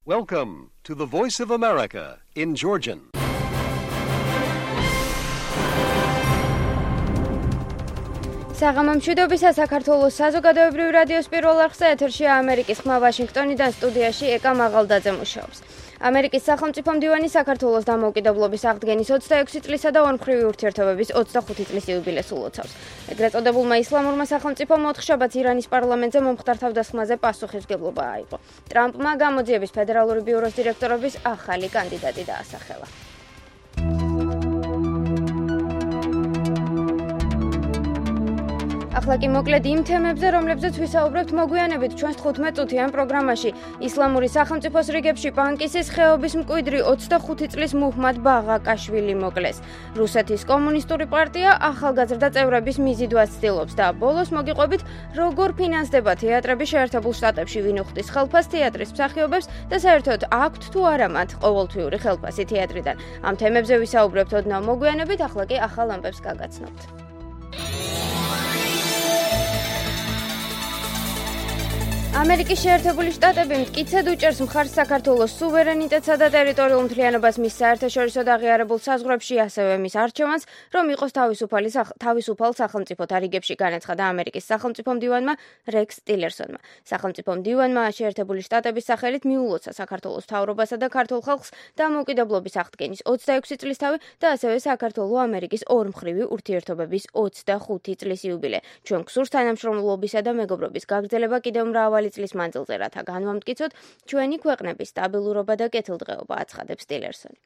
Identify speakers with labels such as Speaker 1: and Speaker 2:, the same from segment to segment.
Speaker 1: Welcome to the Voice of America in Georgian.
Speaker 2: საღამომშვიდობისა საქართველოს საზოგადოებრივ რადიოს პირველ არხზე ეთერშია ამერიკის ხმა ვაშინგტონიდან სტუდიაში ეკა მაღალდაძე მუშაობს. ამერიკის სახელმწიფო მდივანი საქართველოს დამოუკიდებლობის აღდგენის 26 წლისა და ორმხრივი ურთიერთობების 25 წლის იუბილეს ულოცავს. ეგრეთ წოდებულმა ისლამურმა სახელმწიფომ მოთხშაბაც ირანის პარლამენტზე მომხდარ თავდასხმაზე პასუხისმგებლობა აიღო. ტრამპმა გამოძიების ფედერალური ბიუროს დირექტორობის ახალი კანდიდატი დაასახელა. ახლა კი მოკლედ იმ თემებზე, რომლებზეც ვისაუბრებთ მოგვიანებით ჩვენს 15 წუთიან პროგრამაში. ისლამური სახელმწიფოს რიგებში პანკისის ხეობის მკვიდრი 25 წლის მუჰმად ბაღაკაშვილი მოკლეს. რუსეთის კომუნისტური პარტია ახალგაზრდა წევრების მიზიდვას ცდილობს და ბოლოს მოგიყვებით, როგორ ფინანსდება თეატრები შეერთებულ შტატებში, ვინ უხდის ხელფას თეატრის მსახიობებს და საერთოდ აქვთ თუ არა მათ ყოველთვიური ხელფასი თეატრიდან. ამ თემებზე ვისაუბრებთ ოდნავ მოგვიანებით, ახლა კი ახალ ამბებს გაგაცნობთ. ამერიკის შეერთებული შტატები მტკიცედ უჭერს მხარს საქართველოს სუვერენიტეტსა და ტერიტორიულ მთლიანობას მის საერთაშორისო და აღიარებულ საზღვრებში, ასევე მის არჩევანს, რომ იყოს თავისუფალ სახელმწიფოთა რიგებში, განაცხადა ამერიკის სახელმწიფო მდივანმა რექს ტილერსონმა. სახელმწიფო მდივანმა შეერთებული შტატების სახელით მიულოცა საქართველოს მთავრობასა და ქართულ ხალხს დამოუკიდებლობის აღდგენის 26 წლისთავი და ასევე საქართველო-ამერიკის ორმხრივი ურთიერთობების 25 წლის იუბილე. ჩვენ გსურს თანამშრომლობისა და მეგობრობის გაგრძელება კიდევ მრავალი წლის მანძილზე, რათა განვამტკიცოთ ჩვენი ქვეყნების სტაბილურობა და კეთილდღეობა, აცხადებს ტილერსონი.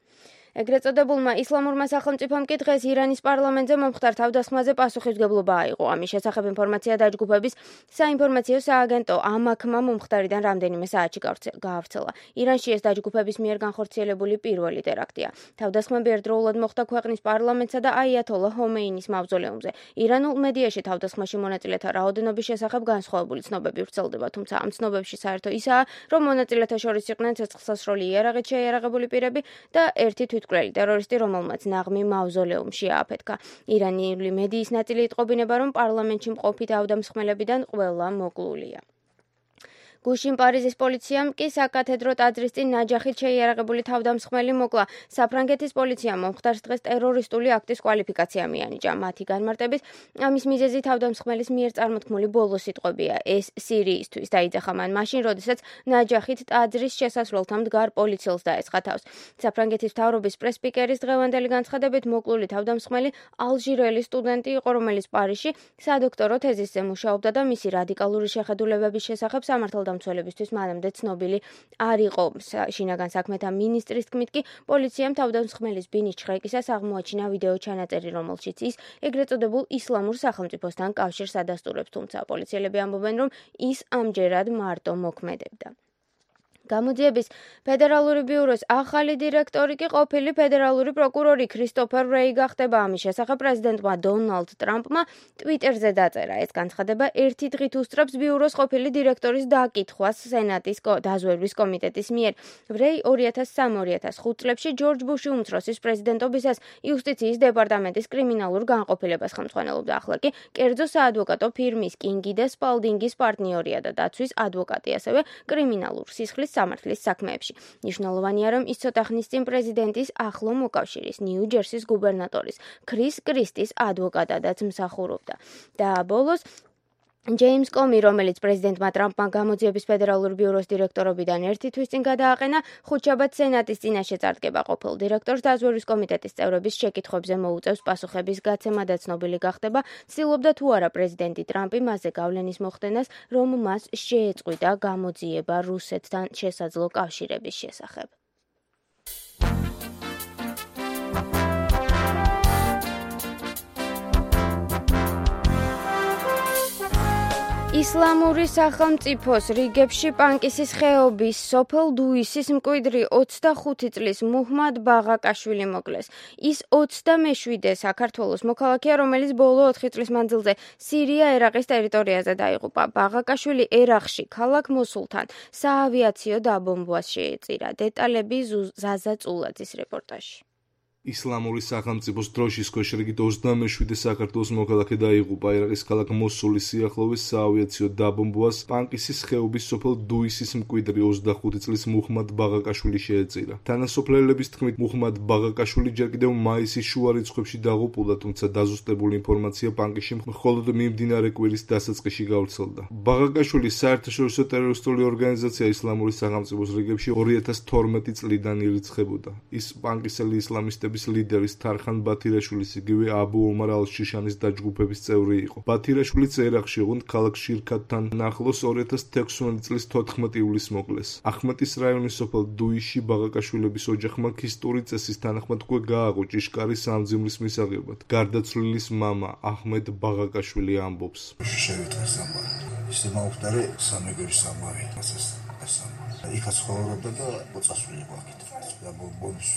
Speaker 2: ეგრეთ წოდებულმა ისლამურმა სახელმწიფომ კი დღეს ირანის პარლამენტზე მომხდარ თავდასხმაზე პასუხისმგებლობა აიღო. ამის შესახებ ინფორმაცია დაჯგუფების საინფორმაციო სააგენტო ამაქმა მომხდარიდან რამდენიმე საათში გაავრცელა. ირანში ეს დაჯგუფების მიერ განხორციელებული პირველი ტერაქტია. თავდასხმები ერთდროულად მოხდა ქვეყნის პარლამენტსა და აიათოლა ჰომეინის მავზოლეუმზე. ირანულ მედიაში თავდასხმაში მონაწილეთა რაოდენობის შესახებ განსხვავებული ცნობები ვრცელდება, თუმცა ამ ცნობებში საერთო ისაა, რომ მონაწილეთა შორის იყვნენ ცეცხლსასროლი იარაღით შეიარაღებული პირები და ერთი თვითმკვლელი ტერორისტი, რომელმაც ნაღმი მავზოლეუმში ააფეთქა. ირანული მედიის ნაწილი იტყობინება, რომ პარლამენტში მყოფი თავდამსხმელებიდან ყველა მოკლულია. გუშინ პარიზის პოლიციამ კი საკათედრო ტაძრის წინ ნაჯახით შეიარაღებული თავდამსხმელი მოკლა. საფრანგეთის პოლიციამ მომხდარს დღეს ტერორისტული აქტის კვალიფიკაცია მიანიჭა. მათი განმარტებით, ამის მიზეზი თავდამსხმელის მიერ წარმოთქმული ბოლო სიტყვებია. ეს სირიისთვის დაიძახა მან მაშინ, როდესაც ნაჯახით ტაძრის შესასვლელთან მდგარ პოლიციელს დაესხა თავს. საფრანგეთის მთავრობის პრეს-სპიკერის დღევანდელი განცხადებით, მოკლული თავდამსხმელი ალჟირელი სტუდენტი იყო, რომელიც პარიზში სადოქტორო თეზისზე მუშაობდა და მისი რადიკალური შეხედულებების შესახებ სამართალდამცველებისთვის მანამდე ცნობილი არ იყო. შინაგან საქმეთა მინისტრის თქმით კი, პოლიციამ თავდამსხმელის ბინის ჩხრეკისას აღმოაჩინა ვიდეო ჩანაწერი, რომელშიც ის ეგრეთ წოდებულ ისლამურ სახელმწიფოსთან კავშირს ადასტურებს, თუმცა პოლიციელები ამბობენ, რომ ის ამჯერად მარტო მოქმედებდა. გამოძიების ფედერალური ბიუროს ახალი დირექტორი კი ყოფილი ფედერალური პროკურორი ქრისტოფერ რეი გახდება. ამის შესახებ პრეზიდენტმა დონალდ ტრამპმა ტვიტერზე დაწერა. ეს განცხადება ერთი დღით უსწრებს ბიუროს ყოფილი დირექტორის დაკითხვას სენატის დაზვერვის კომიტეტის მიერ. რეი 2003-2005 წლებში ჯორჯ ბუში უმცროსის პრეზიდენტობისას იუსტიციის დეპარტამენტის კრიმინალურ განყოფილებას ხელმძღვანელობდა. ახლა კი კერძო საადვოკატო ფირმის კინგი და სპალდინგის პარტნიორია და დაცვის ადვოკატი, ასევე კრიმინალურ სისხლის სამართლის საქმეებში. მნიშვნელოვანია, რომ ის ცოტა ხნის წინ პრეზიდენტის ახლო მოკავშირის, ნიუ-ჯერსის გუბერნატორის ქრის კრისტის ადვოკატადაც მსახურობდა. და ბოლოს ჯეიმს კომი, რომელიც პრეზიდენტმა ტრამპმა გამოძიების ფედერალური ბიუროს დირექტორობიდან ერთი თვის წინ გადააყენა, ხუთშაბათ სენატის წინაშე წარდგება. ყოფილ დირექტორს დაზვერვის კომიტეტის წევრების შეკითხვებზე მოუწევს პასუხების გაცემა და ცნობილი გახდება, ცდილობდა თუ არა პრეზიდენტი ტრამპი მასზე გავლენის მოხდენას, რომ მას შეეწყვიტა გამოძიება რუსეთთან შესაძლო კავშირების შესახებ. ისლამური სახელმწიფოს რიგებში პანკისის ხეობის სოფელ დუისის მკვიდრი 25 წლის მუჰმად ბაღაკაშვილი მოკლეს. ის 27-ე საქართველოს მოქალაქეა, რომელიც ბოლო 4 წლის მანძილზე სირია-ერაყის ტერიტორიაზე დაიღუპა. ბაღაკაშვილი ერაყში ქალაქ მოსულთან საავიაციო დაბომბვას შეეწირა. დეტალები ზაზა წულაძის რეპორტაჟში.
Speaker 3: ისლამური სახელმწიფოს დროშის ქვეშ რიგით 27 საქართველოს მოქალაქე დაიღუპა ერაყის ქალაქ მოსულის სიახლოვეს საავიაციო დაბომბვას პანკისის ხეობის სოფელ დუისის მკვიდრი 25 წლის მუჰმად ბაღაკაშვილი შეეწირა. თანასოფლელების თქმით, მუჰმად ბაღაკაშვილი ჯერ კიდევ მაისის შუა რიცხვებში დაღუპულა, თუმცა დაზუსტებული ინფორმაცია პანკისში მხოლოდ მიმდინარე კვირის დასაწყისში გავრცელდა. ბაღაკაშვილი საერთაშორისო ტერორისტული ორგანიზაცია ისლამური სახელმწიფოს რიგებში 2012 წლიდან ირიცხებოდა. ის პანკისელი ისლამისტების ლიდერის თარხან ბათირაშვილის იგივე აბუ ომარ ალ-შიშანის დაჯგუფების წევრი იყო. ბათირაშვილიც ერაყში ოღონდ ქალაქ შირქათთან ახლოს 2016 წლის 14 ივლისს მოკლეს. ახმეტის რაიონის სოფელ დუისში ბაღაკაშვილების ოჯახმა ქისტური წესის თანახმად უკვე გააღო ჭიშკარი სამძიმრის მისაღებად. გარდაცვლილის მამა აჰმედ ბაღაკაშვილი ამბობს.
Speaker 4: ისე მაუხტარე სამეგრელი სამარი იქაც ცხოვრობდა და მოწასული გვაქვს და ბომბის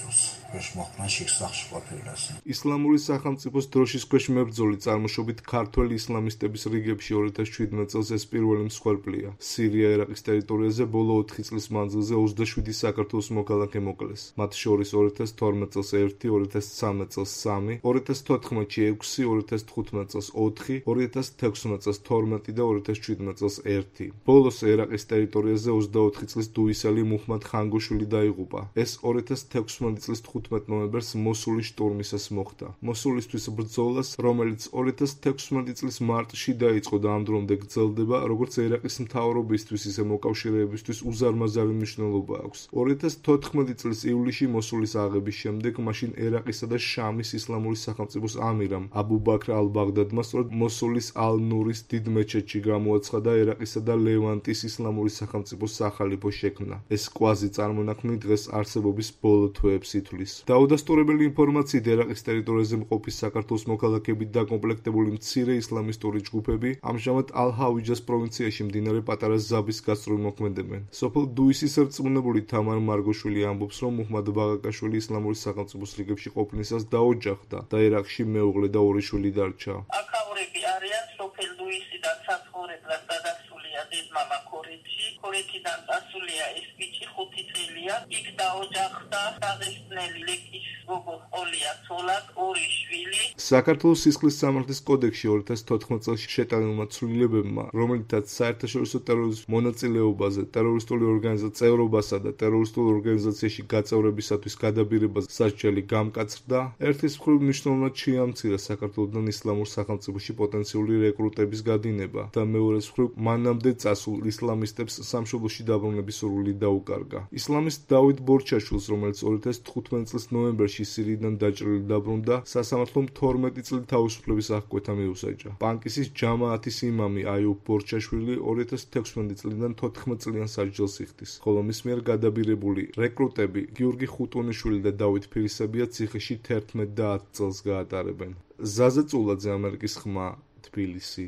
Speaker 4: ქვეშ მოხდა შექსახში ყოფილას.
Speaker 3: ისლამური სახელმწიფოს დროშის ქვეშ მებრძოლი წარმოშობით ქართველი ისლამისტების რიგებში 2017 წელს ეს პირველი მსხვერპლია. სირია-ერაყის ტერიტორიაზე ბოლო 4 წლის მანძილზე 27 საქართველოს მოქალაქე მოკლეს. მათ შორის 2012 წელს 1, 2013 წელს 3, 2014-ში 6, 2015 წელს 4, 2016 წელს 12 და 2017 წელს 1. ბოლოს ერაყის ტერიტორიაზე 24 წლის დუისელი მუჰმად ხანგოშვილი დაიღუპა. ეს 2016 წლის 15 ნოემბერს მოსულის შტურმისას მოხდა. მოსულისთვის ბრძოლას, რომელიც 2016 წლის მარტში დაიწყო და ამ დრომდე გრძელდება, როგორც ერაყის მთავრობისთვის, ისე მოკავშირეებისთვის უზარმაზარი მნიშვნელობა აქვს. 2014 წლის ივლისში მოსულის აღების შემდეგ, მაშინ ერაყისა და შამის ისლამური სახელმწიფოს ამირამ აბუ ბაქრ ალ-ბაღდადმა სწორედ მოსულის ალ-ნურის დიდ მეჩეთში გამოაცხადა ერაყისა და ლევანტის ისლამური სახელმწიფოს სახალიფო შექმნა. ეს კვაზი წარმონაქმნი დღეს არსებობის ბოლო თვეებს ითვლის. დაუდასტურებელი ინფორმაციით ერაყის ტერიტორიაზე მყოფი საქართველოს მოქალაქეებით დაკომპლექტებული მცირე ისლამისტური ჯგუფები ამჟამად ალ-ჰავიჯას პროვინციაში მდინარე პატარა ზაბის გასწვრივ მოქმედებენ. სოფელ დუისის რწმუნებული თამარ მარგოშვილი ამბობს, რომ მუჰმად ბაღაკაშვილი ისლამური სახელმწიფოს რიგებში ყოფნისას დაოჯახდა და ერაყში მეუღლე და 2 შვილი დარჩა.
Speaker 5: აქაურები არიან სოფელ დუისიდან საცხოვრებლად გადასულია დედმამა ქორეთში. ქორეთიდან დასულია ეს ბიჭი 5 წელია. იქ დაოჯახდა დაღესტნელი ლეკის გოგო ყოლია ცოლად 2 შვილი.
Speaker 3: საქართველოს სისხლის სამართლის კოდექსში 2014 წელს შეტანილმა ცვლილებებმა, რომელთაც საერთაშორისო ტერორიზმის მონაწილეობაზე, ტერორისტული ორგანიზაციის წევრობასა და ტერორისტულ ორგანიზაციაში გაწევრებისათვის გადაბირებას სასჯელი გამკაცრდა, ერთის მხრივ მნიშვნელოვნად შეამცირა საქართველოსთან ისლამურ სახელმწიფოში პოტენციური რეკრუტების გადინება და მეორეს მხრივ მანამდე წასულ ისლამისტებს სამშობლოში დაბრუნების სურვილი დაუკარგა. ისლამისტ დავით ბორჩაშვილს, რომელიც 2015 წლის ნოემბერში სირიიდან დაჭრილი დაბრუნდა, სასამართლომ 12 წლით თავისუფლების აღკვეთა მიუსაჯა. პანკისის ჯამაათის იმამი აიუბ ბორჩაშვილი 2016 წლიდან 14 წლიან სასჯელს იხდის, ხოლო მის მიერ გადაბირებული რეკრუტები გიორგი ხუტუნიშვილი და დავით ფირისებია ციხეში 11 და 10 წელს გაატარებენ. ზაზა წულაძე, ამერიკის ხმა, თბილისი.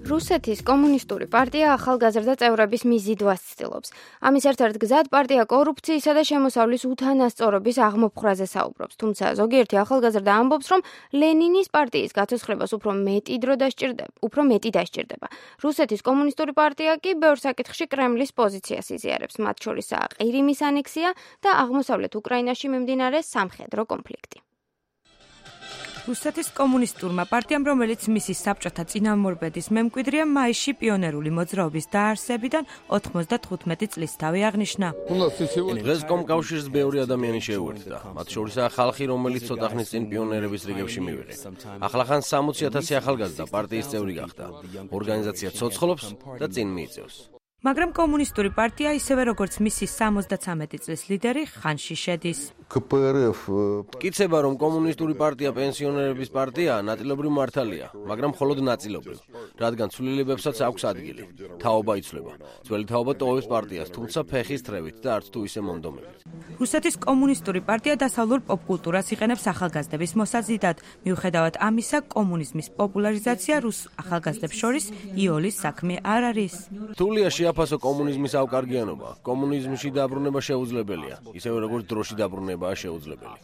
Speaker 2: რუსეთის კომუნისტური პარტია ახალგაზრდა წევრების მიზიდვას ცდილობს. ამის ერთ-ერთ გზად პარტია კორუფციისა და შემოსავლის უთანასწორობის აღმოფხრაზე საუბრობს. თუმცა ზოგიერთი ახალგაზრდა ამბობს, რომ ლენინის პარტიის გაცოცხლებას უფრო მეტი დასჭირდება. რუსეთის კომუნისტური პარტია კი ბევრ საკითხში კრემლის პოზიციას იზიარებს, მათ შორისაა ყირიმის ანექსია და აღმოსავლეთ უკრაინაში მიმდინარე სამხედრო კონფლიქტი.
Speaker 6: რუსეთის კომუნისტურმა პარტიამ, რომელიც მისი საბჭოთა წინამორბედის მემკვიდრეა, მაისში პიონერული მოძრაობის დაარსებიდან 95 წლის თავი აღნიშნა.
Speaker 7: დღეს კომკავშირს ბევრი ადამიანი შეუერთდა. მათ შორისაა ხალხი, რომელიც ცოტა ხნის წინ პიონერების რიგებში მივიღე. ახლახან 60,000 ახალგაზრდა პარტიის წევრი გახდა. ორგანიზაცია ცოცხლობს და წინ მიიწევს.
Speaker 6: მაგრამ კომუნისტური პარტია, ისევე როგორც მისი 73 წლის ლიდერი, ხანში შედის.
Speaker 7: მტკიცება, რომ კომუნისტური პარტია პენსიონერების პარტია, ნაწილობრივ მართალია, მაგრამ მხოლოდ ნაწილობრივ, რადგან ცვლილებებსაც აქვს ადგილი. თაობა იცვლება. ძველი თაობა ტოვებს პარტიას, თუმცა ფეხის თრევით და არც თუ ისე მონდომებით.
Speaker 6: რუსეთის კომუნისტური პარტია დასავლურ პოპკულტურას იყენებს ახალგაზრდების მოსაზიდად. მიუხედავად ამისა, კომუნიზმის პოპულარიზაცია რუს ახალგაზრდებს შორის იოლის საქმე არ არის.
Speaker 7: რთულია შეაფასო კომუნიზმის ავკარგიანობა. კომუნიზმში დაბრუნება შეუძლებელია, ისევე როგორც დროში დაბრუნებაა შეუძლებელი.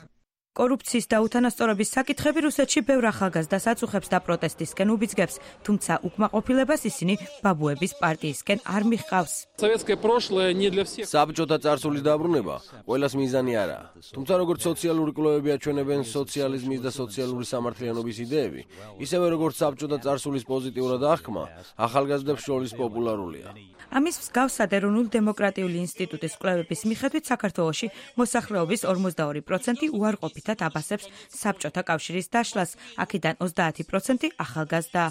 Speaker 6: კორუფციის და უთანასწორობის საკითხები რუსეთში ბევრ ახალგაზრდას აწუხებს და პროტესტისკენ უბიძგებს, თუმცა უკმაყოფილებას ისინი ბაბუების პარტიისკენ არ მიჰყავს.
Speaker 7: საბჭოთა წარსულის დაბრუნება ყველას მიზანი არაა. თუმცა როგორც სოციალური კვლევები აჩვენებენ, სოციალიზმის და სოციალური სამართლიანობის იდეები, ისევე როგორც საბჭოთა წარსულის პოზიტიურად აღქმა, ახალგაზრდებს შორის პოპულარულია.
Speaker 6: ამის მსგავსად ეროვნული დემოკრატიული ინსტიტუტის კვლევების მიხედვით საქართველოში მოსახლეობის 42% უარყოფითად აბასებს საბჭოთა კავშირის დაშლას, აქედან 30% ახალგაზრდაა.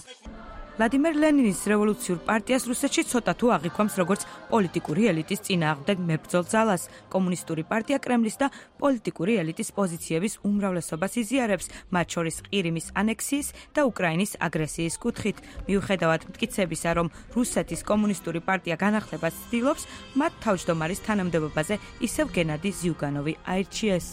Speaker 6: ვლადიმერ ლენინის რევოლუციურ პარტიას რუსეთში ცოტა თუ აღიქვამს როგორც პოლიტიკური ელიტის წინააღმდეგ მებრძოლ ძალას. კომუნისტური პარტია კრემლის და პოლიტიკური ელიტის პოზიციების უმრავლესობას იზიარებს, მათ შორის ყირიმის ანექსიის და უკრაინის აგრესიის კუთხით. მიუხედავად მტკიცებისა, რომ რუსეთის კომუნისტური პარტია განახლებას ცდილობს, მათ თავმჯდომარის თანამდებობაზე ისევ გენადი ზიუგანოვი აირჩიეს.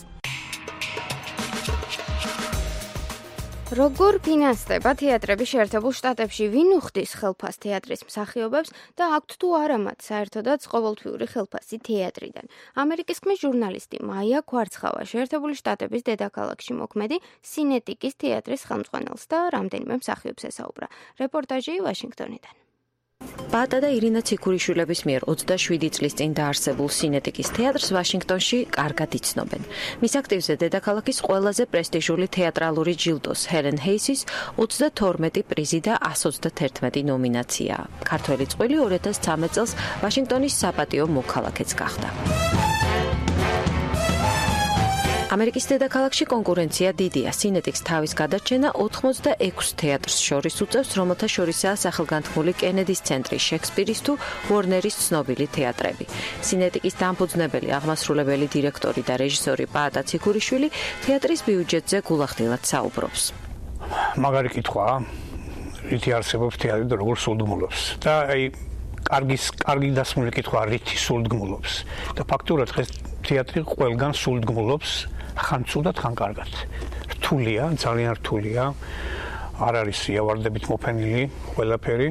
Speaker 2: როგორ ფინანსდება თეატრები შეერთებულ შტატებში, ვინ უხდის ხელფას თეატრის მსახიობებს და აქვთ თუ არა მათ საერთოდაც ყოველთვიური ხელფასი თეატრიდან? ამერიკის ხმის ჟურნალისტი მაია ქვარცხავა შეერთებული შტატების დედაქალაქში მოქმედი სინეტიკის თეატრის ხელმძღვანელს და რამდენიმე მსახიობს ესაუბრა. რეპორტაჟი ვაშინგტონიდან.
Speaker 8: ბატა და ირინა ციქურიშვილების მიერ 27 წლის წინ დაარსებულ სინეტიკის თეატრს ვაშინგტონში კარგად იცნობენ. მის აქტივზე დედაქალაქის ყველაზე პრესტიჟული თეატრალური ჯილდოს ჰელენ ჰეისის 32 პრიზი და 121 ნომინაცია. ქართველი წყვილი 2013 წელს ვაშინგტონის საპატიო მოქალაქეც გახდა. ამერიკის დედაქალაქში კონკურენცია დიდია. სინეტიკს თავის გადარჩენა 86 თეატრს შორის უწევს, რომელთა შორისაა სახელგანთქმული კენედის ცენტრი, შექსპირის თუ ვორნერის ცნობილი თეატრები. სინეტიკის დამფუძნებელი, აღმასრულებელი დირექტორი და რეჟისორი ბატა ციქურიშვილი თეატრის ბიუჯეტზე გულახდილად საუბრობს.
Speaker 9: მაგარი კითხვაა, რითი არსებობს თეატრი და როგორ სულდგმულობს. და კარგი დასმული კითხვა, რითი სულდგმულობს. და ფაქტურად დღეს თეატრი ყველგან სულდგმულობს. ხან ცუდად, ხან კარგად. რთულია, ძალიან რთულია. არ არის იავარდებით მოფენილი ყველაფერი.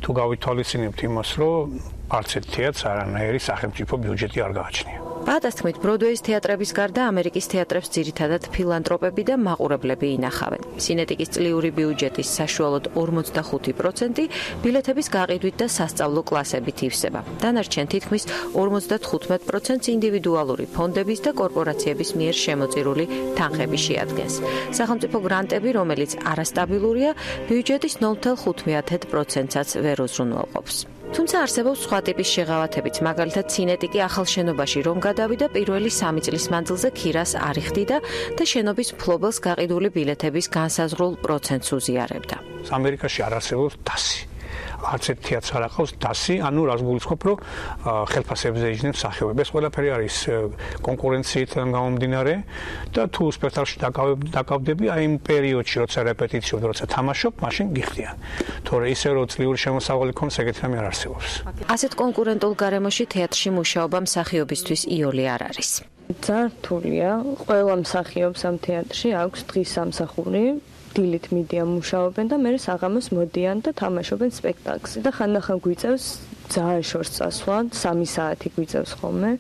Speaker 9: თუ გავითვალისწინებთ იმას, რომ არც ერთ თეატრს არანაირი სახელმწიფო ბიუჯეტი არ გააჩნია.
Speaker 8: ბატას თქმით, ბროდვეის თეატრების გარდა ამერიკის თეატრებს ძირითადად ფილანტროპები და მაყურებლები ინახავენ. სინეტიკის წლიური ბიუჯეტის საშუალოდ 45% ბილეთების გაყიდვით და სასწავლო კლასებით ივსება. დანარჩენ თითქმის 55% ინდივიდუალური ფონდების და კორპორაციების მიერ შემოწირული თანხები შეადგენს. სახელმწიფო გრანტები, რომელიც არასტაბილურია, ბიუჯეტის 0.5%-საც ვერ უზრუნველყოფს. თუმცა არსებობს სხვა ტიპის შეღავათებიც, მაგალითად სინეტიკი ახალ შენობაში რომ გადავიდა, პირველი 3 წლის მანძილზე ქირას არ იხდიდა და შენობის მფლობელს გაყიდული ბილეთების განსაზღვრულ პროცენტს უზიარებდა.
Speaker 9: ამერიკაში არ არსებობს დასი. არც ერთ თეატრს არ აყავს დასი, ანუ რას გულისხმობ, რომ ხელფასებზე იჯდნენ მსახიობები. ეს ყველაფერი არის კონკურენციიდან გამომდინარე და თუ სპექტაკლში დაკავდები, აი იმ პერიოდში, როცა რეპეტიციობ, როცა თამაშობ, მაშინ გიხდიან. თორე ისე რომ წლიური შემოსავალი ქონდეს, ეგეთი რამე არ არსებობს.
Speaker 8: ასეთ კონკურენტულ გარემოში თეატრში მუშაობა მსახიობისთვის იოლი არ არის.
Speaker 10: ძალიან რთულია. ყველა მსახიობს ამ თეატრში აქვს დღის სამსახური. დილით მიდიან მუშაობენ და მერე საღამოს მოდიან და თამაშობენ სპექტაკლს და ხანდახან გვიწევს ძალიან შორს წასვლა, 3 საათი გვიწევს ხოლმე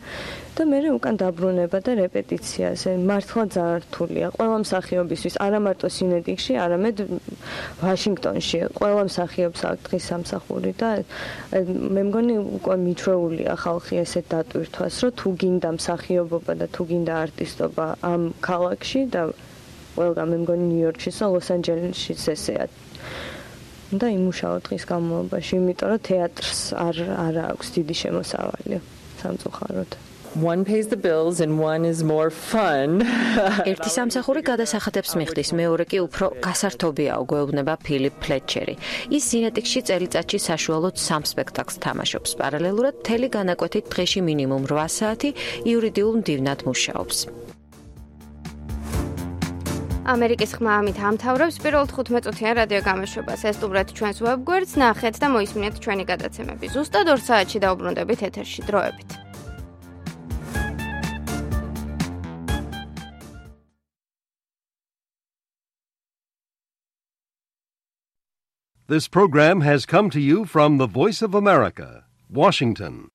Speaker 10: და მერე უკან დაბრუნება და რეპეტიციაზე. მართლა ძალიან რთულია. ყველა მსახიობისთვის, არა მარტო სინეტიკში, არამედ ვაშინგტონში. ყველა მსახიობს აქვს დღის სამსახური და მე მგონი უკვე მიჩვეულია ხალხი ესეთ დატვირთვას, რომ თუ გინდა მსახიობობა და თუ გინდა არტისტობა ამ ქალაქში და ყველგან მე მგონი ნიუ-იორკში და ლოს-ანჯელესშიც ესეა. და იმუშაო დღის განმავლობაში, იმიტომ რომ თეატრს არ აქვს დიდი შემოსავალი სამწუხაროდ.
Speaker 11: One pays the bills and one is more fun.
Speaker 8: ერთი სამსახური გადასახადებს მიხდის, მეორე კი უფრო გასართობიაო, გვეუბნება ფილიპ ფლეტჩერი. ის სინეტიკში წელიწადში საშუალოდ 3 სპექტაკლს თამაშობს. პარალელურად მთელი განაკვეთით დღეში მინიმუმ 8 საათი იურიდიულ მდივნად მუშაობს.
Speaker 2: ამერიკის ხმა ამით ამთავრებს პირველ 15 წუთიან რადიო გამოშვებას. ესტუმრეთ ჩვენს ვებგვერდს, ნახეთ და მოისმინეთ ჩვენი გადაცემები. ზუსტად 2 საათში დავუბრუნდებით ეთერში. დროებით.
Speaker 1: This program has come to you from the Voice of America, Washington.